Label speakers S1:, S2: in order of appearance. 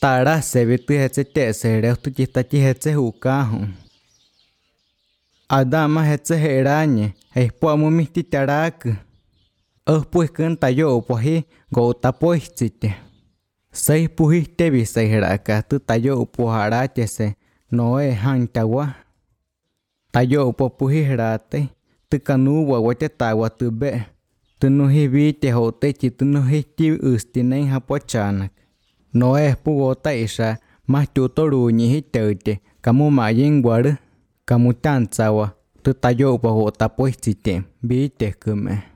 S1: tara se ve tu hetse te se re tu chita chi hetse hukahu adama hetse herañe po mu miti tarak pues kan tayo po hi go tapoichite sei puhi te vi se heraka tu tayo po harate se noe hantawa tayo po puhi herate tu kanu wa wate tawa tu be tu no hi vi te hote chi tu no hi ti ustinen hapochanak noe pu gota isa ma tu toru ni hi tete kamu ma yin war kamu tan tsawa tu tayo po tapoichite vi te kume